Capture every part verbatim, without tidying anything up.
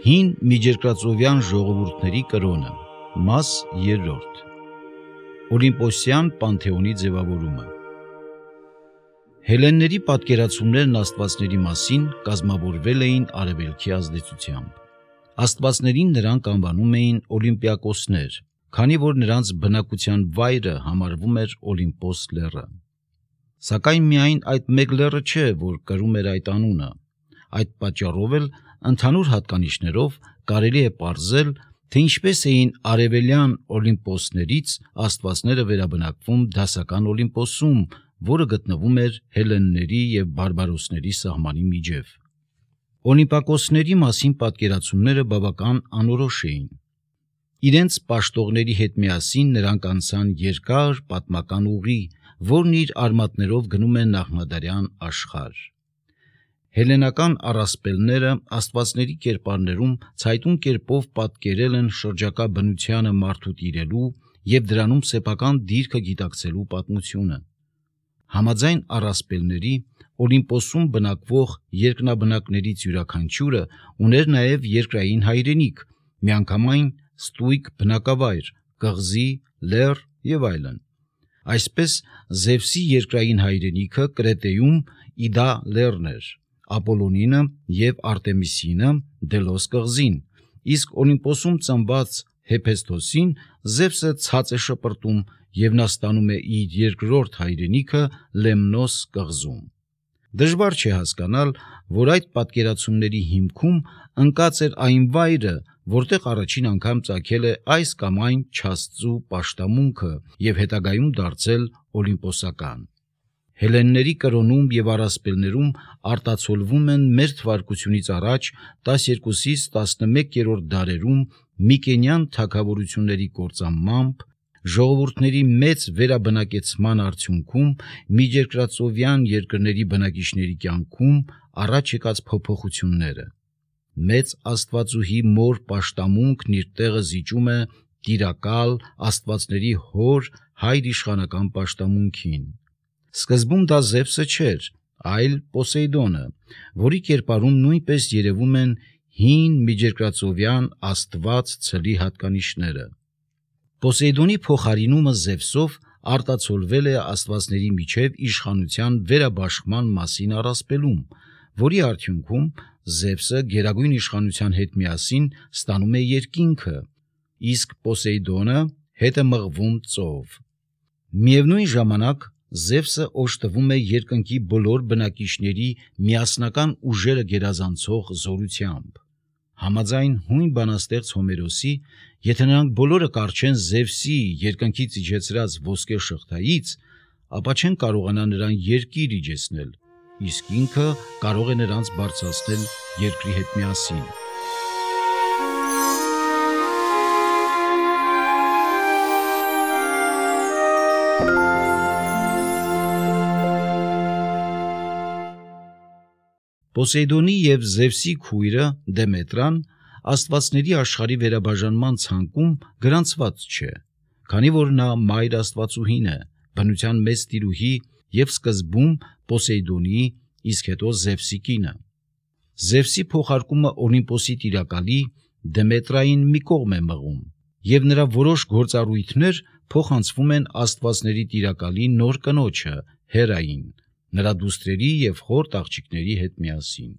Հին միջերկրածովյան ժողովուրդների կրոնը, մաս երրորդ, Օլիմպոսյան պանթեոնի ձևավորումը։ Հելենների պատկերացումներն աստվածների մասին կազմավորվել էին արևելքի ազդեցությամբ։ Աստվածներին նրանք անվանում էին օլիմպիակոսներ, քանի որ նրանց բնակության վայրը համարվում էր Օլիմպոս լեռը։ Սակայն միայն այդ մեկ լեռը չէ, որ կրում էր այդ անունը։ Այդ պատճառով էլ ընդհանուր հատկանիշներով կարելի է պարզել, թե ինչպես էին արևելյան Օլիմպոսներից աստվածները վերաբնակվում դասական Օլիմպոսում, որը գտնվում էր հելենների և բարբարոսների սահմանի միջև։ Օլիմպակոսների մասին պատկերացումները բավական անորոշ էին։ Իրենց պաշտողների հետ միասին նրանք անցան երկար պատմական ուղի, որն իր արմատներով գնում է նախնադարյան աշխարհ։ Հելենական առասպելները աստվածների կերպարներում ցայտուն կերպով պատկերել են շրջակա բնությանը մարդու տիրելու և դրանում սեփական դիրքը գիտակցելու պատմությունը։ Համաձայն առասպելների, Օլիմպոսում բնակվող երկնաբնակներից յուրաքանչյուրը ուներ նաև երկրային հայրենիք, միանգամայն ստույգ բնակավայր, կղզի, լեռ և այլն։ Այսպես Զևսի երկրային հայրենիքը Կրետեում Իդա լեռն էր, Ապոլոնինը և Արտեմիսինը Դելոս կղզին, իսկ Օլիմպոսում ծնված Հեփեստոսին Զևսը ցած է շպրտում և նա ստանում է իր երկրորդ հայրենիքը Լեմնոս կղզում։ Դժվար չէ հասկանալ, որ այդ պատկերացումների հիմքում ընկած էր այն վայրը, որտեղ առաջին անգամ ծագել է այս կամ այն չաստծու պաշտամունքը և հետագայում դարձել օլիմպոսական։ Հելենների կրոնում և առասպելներում արտացոլվում են մեր թվարկությունից առաջ տասներկուսից տասնմեկերորդ դարերում Միկենյան թագավորությունների կործանմամբ, ժողովուրդների մեծ վերաբնակեցման արդյունքում միջերկրածովյան երկրների բնակիչների կյանքում առաջ եկած փոփոխությունները։ Մեծ աստվածուհի մոր պաշտամունքն իր տեղը զիջում է տիրակալ աստվածների հոր հայրիշխանական պաշտամունքին։ Սկզբում դա Զևսը չէր, այլ Պոսեյդոնը, որի կերպարում նույնպես երևում են հին միջերկրածովյան աստված ցլի հատկանիշները։ Պոսեյդոնի փոխարինումը Զևսով արտացոլվել է աստվածների միջև իշխանության վերաբաշխման մասին առասպելում, որի արդյունքում Զևսը գերագույն իշխանության հետ միասին ստանում է երկինքը, իսկ Պոսեյդոնը հետ է մղվում ծով։ Միևնույն ժամանակ Զևսը օժտվում է երկնքի բոլոր բնակիչների միասնական ուժերը գերազանցող զորությամբ։ Համաձայն հույն բանաստեղծ Հոմերոսի, եթե նրանք բոլորը կառչեն Զևսի երկնքից իջեցրած ոսկե շղթայից, ապա չեն կարողանա նրան երկիր իջեցնել, իսկ ինքը կարող է նրանց բարձրացնել երկրի հետ միասին։ Պոսեյդոնի և Զևսի քույրը Դեմետրան աստվածների աշխարհի վերաբաժանման ցանկում գրանցված չէ, քանի որ նա մայր աստվածուհին է, բնության մեծ տիրուհի և սկզբում Պոսեյդոնի, իսկ հետո Զևսի կինը։ Զևսի փոխարկումը Օլիմպոսի տիրակալի Դեմետրային մի կողմ է մղում, և նրա որոշ գործառույթներ փոխանցվում են աստվածների տիրակալի նոր կնոջը Հերային, նրա դուստրերի և խորտ աղջիկների հետ միասին։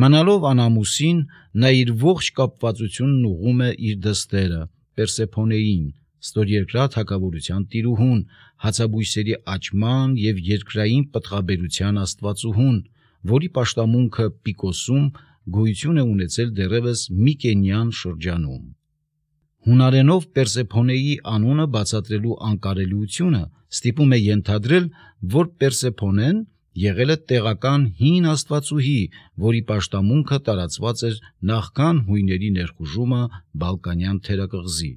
Մնալով անամուսին, նա իր ողջ կապվածությունն ուղղում է իր դստերը Պերսեփոնեին, ստորերկրյա թագավորության տիրուհուն, հացաբույսերի աճման և երկրային պտղաբերության աստվածուհուն, որի պաշտամունքը Պիկոսում գոյություն է ունեցել դեռևս Միկենյան շրջանում։ Հունարենով Պերսեփոնեի անունը բացատրելու անկարելիությունը ստիպում է ենթադրել, որ Պերսեփոնեն եղել է տեղական հին աստվածուհի, որի պաշտամունքը տարածված էր նախքան հույների ներխուժումը Բալկանյան թերակղզի։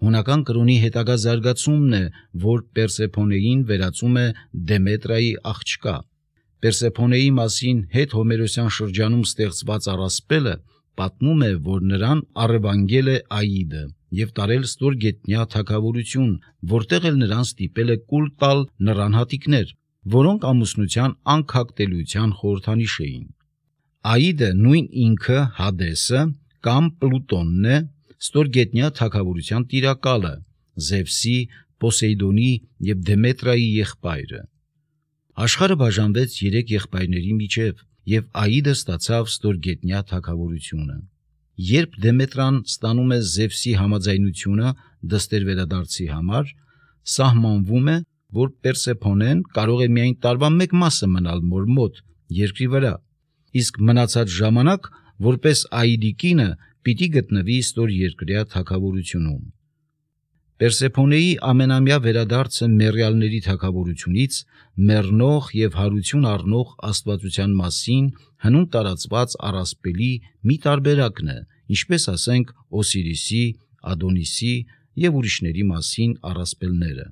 Հունական կրոնի հետագա զարգացումն է, որ Պերսեփոնեին վերածում է Դեմետրայի աղջկա։ Պերսեփոնեի մասին հետ հոմերոսյան շրջանում ստեղծված առասպելը պատմում է, որ նրան առևանգել է Աիդը և տարել ստորգետնյա թագավորություն, որտեղ էլ նրան ստիպել է կուլ տալ նռան հատիկներ, որոնք ամուսնության անքակտելիության խորհրդանիշ էին։ Աիդը, նույն ինքը Հադեսը, կամ Պլուտոնն է, ստորգետնյա թագավորության տիրակալը, Զևսի, Պոսեյդոնի և Դեմետրայի եղբայրը։ Աշխարհը բաժանվեց երեք եղբայրների միջև, և Աիդը ստացավ ստորգետնյա թագավորությունը։ Երբ Դեմետրան ստանում է Զևսի համաձայնությունը դստեր վերադարձի համար, սահմանվում է, որ Պերսեփոնեն կարող է միայն տարվա մեկ մասը մնալ մոր մոտ երկրի վրա, իսկ մնացած ժամանակ որպես Աիդի կինը պիտի գտնվի ստորերկրյա թագավորությունում։ Պերսեփոնեի ամենամյա վերադարձը մեռյալների թագավորությունից մեռնող և հարություն առնող աստվածության մասին հնում տարածված առասպելի մի տարբերակն է, ինչպես ասենք Օսիրիսի, Ադոնիսի և ուրիշների մասին առասպելները։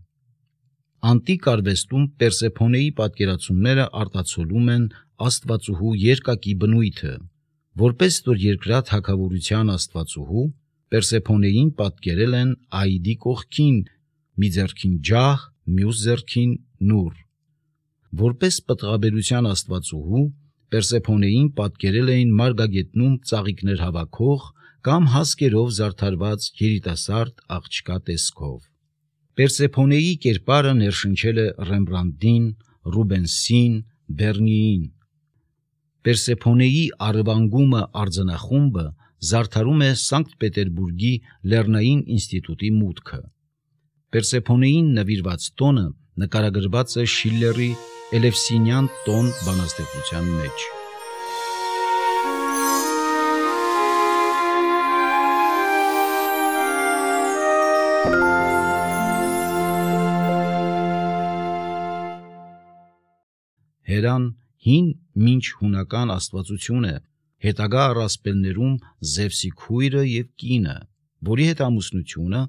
Անտիկ արվեստում Պերսեփոնեի պատկերացումները արտացոլում են աստվածուհու երկակի բնույթը։ Որպես ստորերկրյա թագավորության աստվածուհու, Պերսեփոնեին պատկերել են Աիդի կողքին, մի ձեռքին ջահ, մյուս ձեռքին նուռ։ Որպես պտղաբերության աստվածուհու, Պերսեփոնեին պատկերել էին մարգագետնում ծաղիկներ հավաքող կամ հասկերով զարդարված երիտասարդ աղջկա տեսքով։ Պերսեփոնեի կերպարը ներշնչել է Ռեմբրանդտին, Ռուբենսին, Բեռնիին։ Պերսեփոնեի առևանգումը արձանախումբը զարդարում է Սանկտ Պետերբուրգի Լեռնային ինստիտուտի մուտքը։ Պերսեփոնեին նվիրված տոնը նկարագրված է Շիլլերի Էլևսինյան տոն բանաստեղծության մեջ։ Հերան հին մինչ հունական աստվածություն է, հետագա առասպելներում Զևսի քույրը և կինը, որի հետ ամուսնությունը,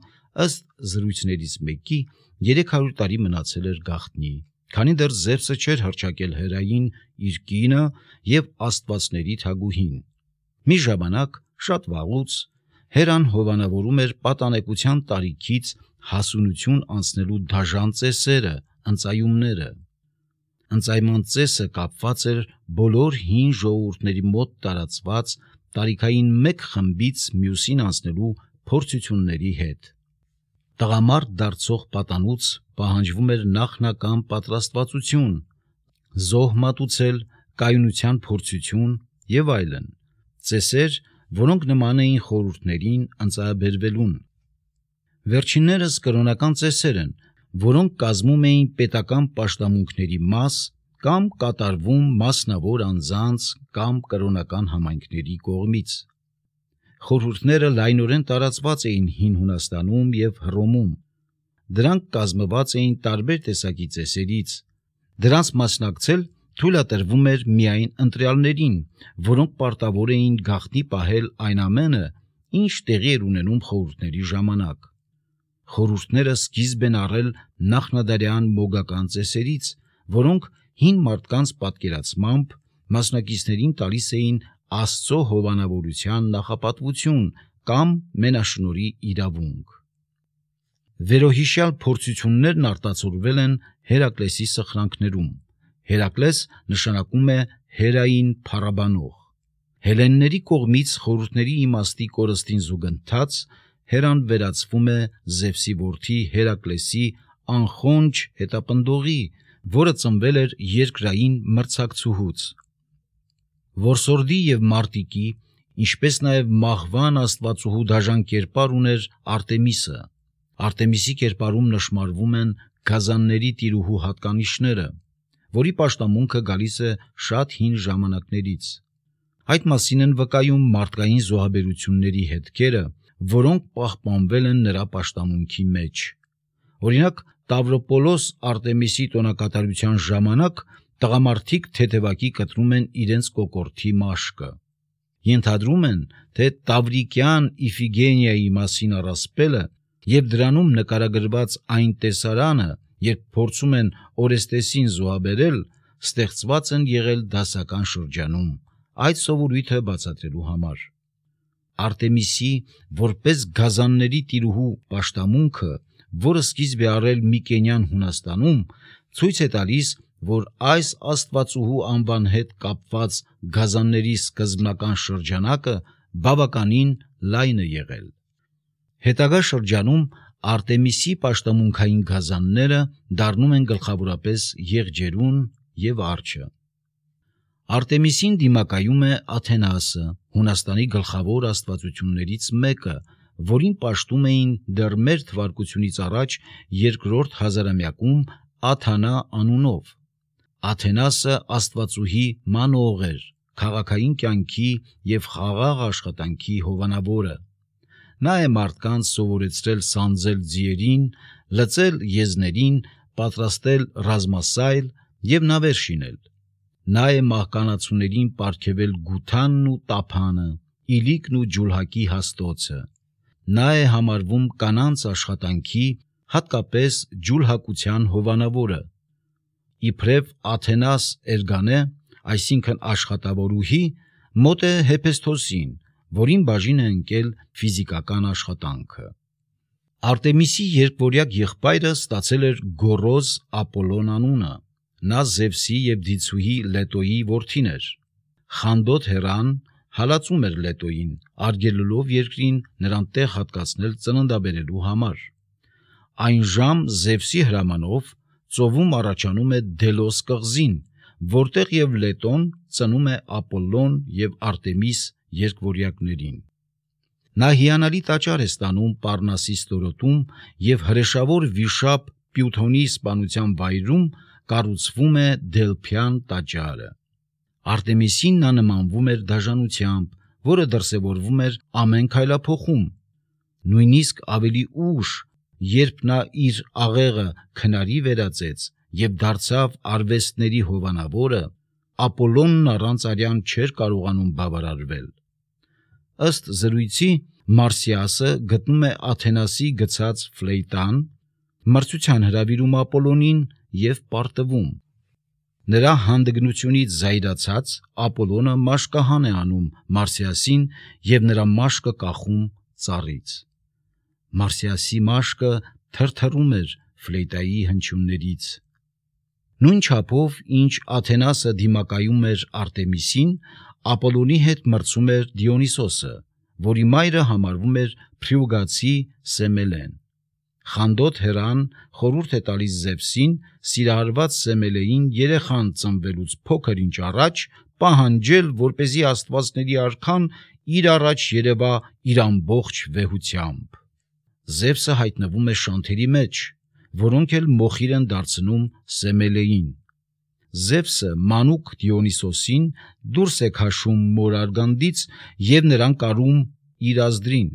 ըստ զրույցներից մեկի, երեք հարյուր տարի մնացել էր գաղտնի, քանի դեռ Զևսը չէր հռչակել Հերային իր կինը և աստվածների թագուհին։ Մի ժամանակ, շատ վաղուց, Հերան հովանավորում էր պատանեկության տարիքից հասունություն անցնելու դաժան ծեսերը, ընծայումները։ Ընծայման ծեսը կապված էր բոլոր հին ժողովուրդների մոտ տարածված տարիքային մեկ խմբից մյուսին անցնելու փորձությունների հետ։ Տղամարդ դարձող պատանուց պահանջվում էր նախնական պատրաստվածություն, զոհ մատուցել, կայունության փորձություն և այլն, ծեսեր, որոնք նման էին խորհուրդներին ընծայաբերվելուն։ Վերջիններս կրոնական ծեսեր են, որոնք կազմում էին պետական պաշտամունքների մաս կամ կատարվում մասնավոր անձանց կամ կրոնական համայնքների կողմից։ Խորհուրդները լայնորեն տարածված էին Հին Հունաստանում և Հռոմում։ Դրանք կազմված էին տարբեր տեսակի ծեսերից։ Դրանց մասնակցել թույլատրվում էր միայն ընտրյալներին, որոնք պարտավոր էին գաղտնի պահել այն ամենը, ինչ տեղի էր ունենում խորհուրդների ժամանակ։ Խորհուրդները սկիզբ են առել նախնադարյան մոգական ծեսերից, որոնք հին մարդկանց պատկերացմամբ մասնակիցներին տալիս էին Աստծո հովանավորության նախապատվություն կամ մենաշնորհի իրավունք։ Վերոհիշյալ փորձություններն արտացոլվել են Հերակլեսի սխրանքներում։ Հերակլես նշանակում է Հերային փառաբանող։ Հելլենների կողմից խորհուրդների իմաստի կորստին զուգընթաց Հերան վերածվում է Զևսի որդի Հերակլեսի անխոնջ հետապնդողի, որը ծնվել էր երկրային մրցակցուհուց։ Որսորդի և Մարտիկի, ինչպես նաև մահվան աստվածուհու դաժան կերպար ուներ Արտեմիսը։ Արտեմիսի կերպարում նշմարվում են գազանների տիրուհու հատկանիշները, որի պաշտամունքը գալիս է շատ հին ժամանակներից։ Այդ մասին են վկայում մարդկային զոհաբերությունների հետքերը, որոնք պահպանվել են նրա պաշտամունքի մեջ։ Օրինակ, Տավրոպոլոս Արտեմիսի տոնակատարության ժամանակ տղամարդիկ թեթևակի կտրում են իրենց կոկորդի մաշկը։ Ենթադրում են, թե Տավրիկյան Իֆիգենիայի մասին առասպելը և դրանում նկարագրված այն տեսարանը, երբ փորձում են Օրեստեսին զոհաբերել, ստեղծված են եղել դասական շրջանում, այդ սովորույթը բացատրելու համար։ Արտեմիսի որպես գազանների տիրուհու պաշտամունքը, որը սկիզբ է առել Միկենյան Հունաստանում, ցույց է տալիս, որ այս աստվածուհու անվան հետ կապված գազանների սկզբնական շրջանակը բավականին լայն է եղել։ Հետագա շրջանում Արտեմիսի պաշտամունքային գազանները դառնում են գլխավորապես եղջերուն և արջը։ Արտեմիսին դիմակայում է Աթենասը, Հունաստանի գլխավոր աստվածություններից մեկը, որին պաշտում էին դեռ մեր թվարկությունից առաջ երկրորդ հազարամյակում Աթանա անունով։ Աթենասը աստվածուհի մանող էր, քաղաքային կյանքի և խաղաղ աշխատանքի հովանավորը։ Նա է մարդկանց սովորեցրել սանձել ձիերին, լծել եզներին, պատրաստել ռազմասայլ և նավեր շինել։ Նա է մահկանացուներին պարգևել գութանն ու տափանը, իլիկն ու ջուլհակի հաստոցը։ Նա է համարվում կանանց աշխատանքի, հատկապես ջուլհակության հովանավորը։ Իբրև Աթենաս Էրգանե, այսինքն աշխատավորուհի, մոտ է Հեփեստոսին, որին բաժին է ընկել ֆիզիկական աշխատանքը։ Արտեմիսի երկվորյակ եղբայրը ստացել էր Գոռոզ Ապոլոն անունը։ Նա Զևսի և դիցուհի Լետոյի որդին էր։ Խանդոտ Հերան հալածում էր Լետոյին, արգելելով երկրին նրան տեղ հատկացնել ծննդաբերելու համար։ Այն ժամ Զևսի հրամանով ծովում առաջանում է Դելոս կղզին, որտեղ և Լետոն ծնում է Ապոլլոն և Արտեմիս երկվորյակներին։ Նա հիանալի տաճար է ստանում Պարնասի ստորոտում և հրեշավոր վիշապ Պյութոնի սպանության վայրում կառուցվում է Դելփյան տաճարը։ Արտեմիսին նա նմանվում էր դաժանությամբ, որը դրսևորվում էր ամեն քայլափոխում։ Նույնիսկ ավելի ուշ, երբ նա իր աղեղը քնարի վերածեց և դարձավ արվեստների հովանավորը, Ապոլոնն առանց արյան չէր կարողանում բավարարվել։ Ըստ զրույցի Մարսիասը գտնում է Աթենասի գցած ֆլեյտան, մրցության հրավիրում Ապոլոնին և պարտվում։ Նրա հանդգնությունից զայրացած Ապոլոնը մաշկահան է անում Մարսիասին և նրա մաշկը կախում ծառից։ Մարսիասի մաշկը թրթռում էր ֆլեյտայի հնչյուններից։ Նույն չափով, ինչ Աթենասը դիմակայում էր Արտեմիսին, Ապոլոնի հետ մրցում էր Դիոնիսոսը, որի մայրը համարվում էր փրիուգացի Սեմելեն։ Խանդոտ Հերան խորհուրդ է տալիս Զևսին սիրահարված Սեմելեին երեխան ծնվելուց փոքր ինչ առաջ պահանջել, որպեսզի աստվածների արքան իր առաջ երևա իր ամբողջ վեհությամբ։ Զևսը հայտնվում է շանթերի մեջ, որոնք էլ մոխիր են դարձնում Սեմելեին։ Զևսը մանուկ Դիոնիսոսին դուրս է քաշում մոր արգանդից և նրան կարում իր ազդրին։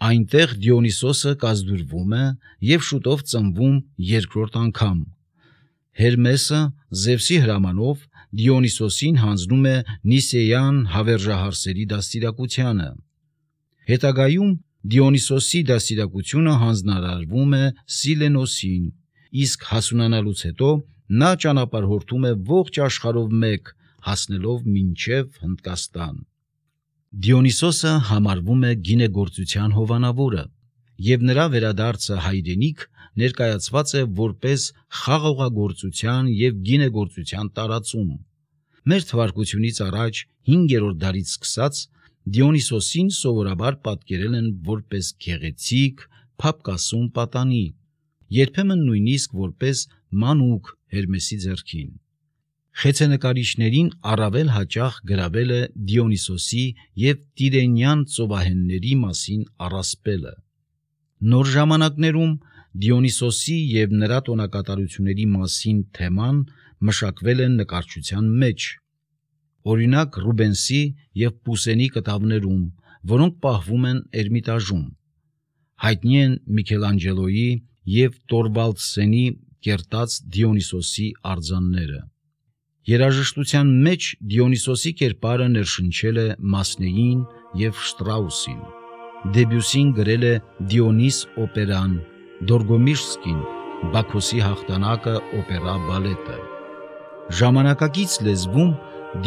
Այնտեղ Դիոնիսոսը կազդուրվում է և շուտով ծնվում երկրորդ անգամ։ Հերմեսը Զևսի հրամանով Դիոնիսոսին հանձնում է Նիսեյան հավերժահարսերի դաստիարակությանը։ Հետագայում Դիոնիսոսի դաստիարակությունը հանձնարարվում է Սիլենոսին, իսկ հասունանալուց հետո նա ճանապարհորդում է ողջ աշխարհով մեկ, հասնելով մինչև Հնդկաստան։ Դիոնիսոսը համարվում է գինեգործության հովանավորը, և նրա վերադարձը հայրենիք ներկայացված է որպես խաղողագործության և գինեգործության տարածում։ Մեր թվարկությունից առաջ հինգերորդ դարից սկսած Դիոնիսոսին սովորաբար պատկերել են որպես գեղեցիկ, փափկասուն պատանի, երբեմն նույնիսկ որպես մանուկ Հերմեսի ձեռքին։ Խեցենկարիչներին առավել հաճախ գրավել է Դիոնիսոսի և Տիրենյան ծովահենների մասին առասպելը։ Նոր ժամանակներում Դիոնիսոսի և նրա տոնակատարությունների մասին թեման մշակվել է նկարչության մեջ։ Օրինակ Ռուբենսի և Պուսենի կտավներում, որոնք պահվում են Էրմիտաժում։ Հայտնի են Միքելանջելոյի և Տորվալդսենի կերտած Դիոնիսոսի արձանները։ Երաժշտության մեջ Դիոնիսոսի կերպարը ներշնչել է Մասնեին և Շտրաուսին։ Դեբյուսին գրել է Դիոնիս օպերան, Դորգոմիշսկին Բաքոսի հաղթանակը օպերա բալետը։ Ժամանակակից լեզվում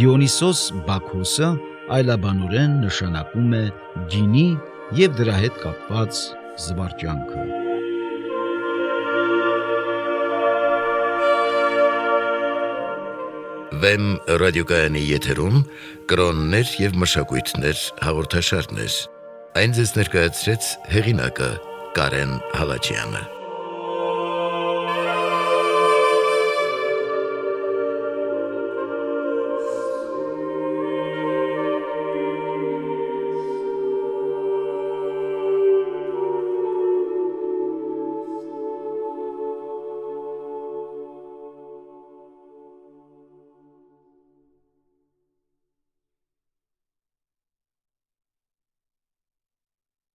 Դիոնիսոս Բաքոսը այլաբանորեն նշանակում է գինի և դրա հետ կապված զվարճանքը։ Վեմ ռադիոկայանի եթերում կրոններ և մշակույթներ հաղորդաշարներ։ Այն ձեզ ներկայացրեց հեղինակը Կարեն Հալաջյանը։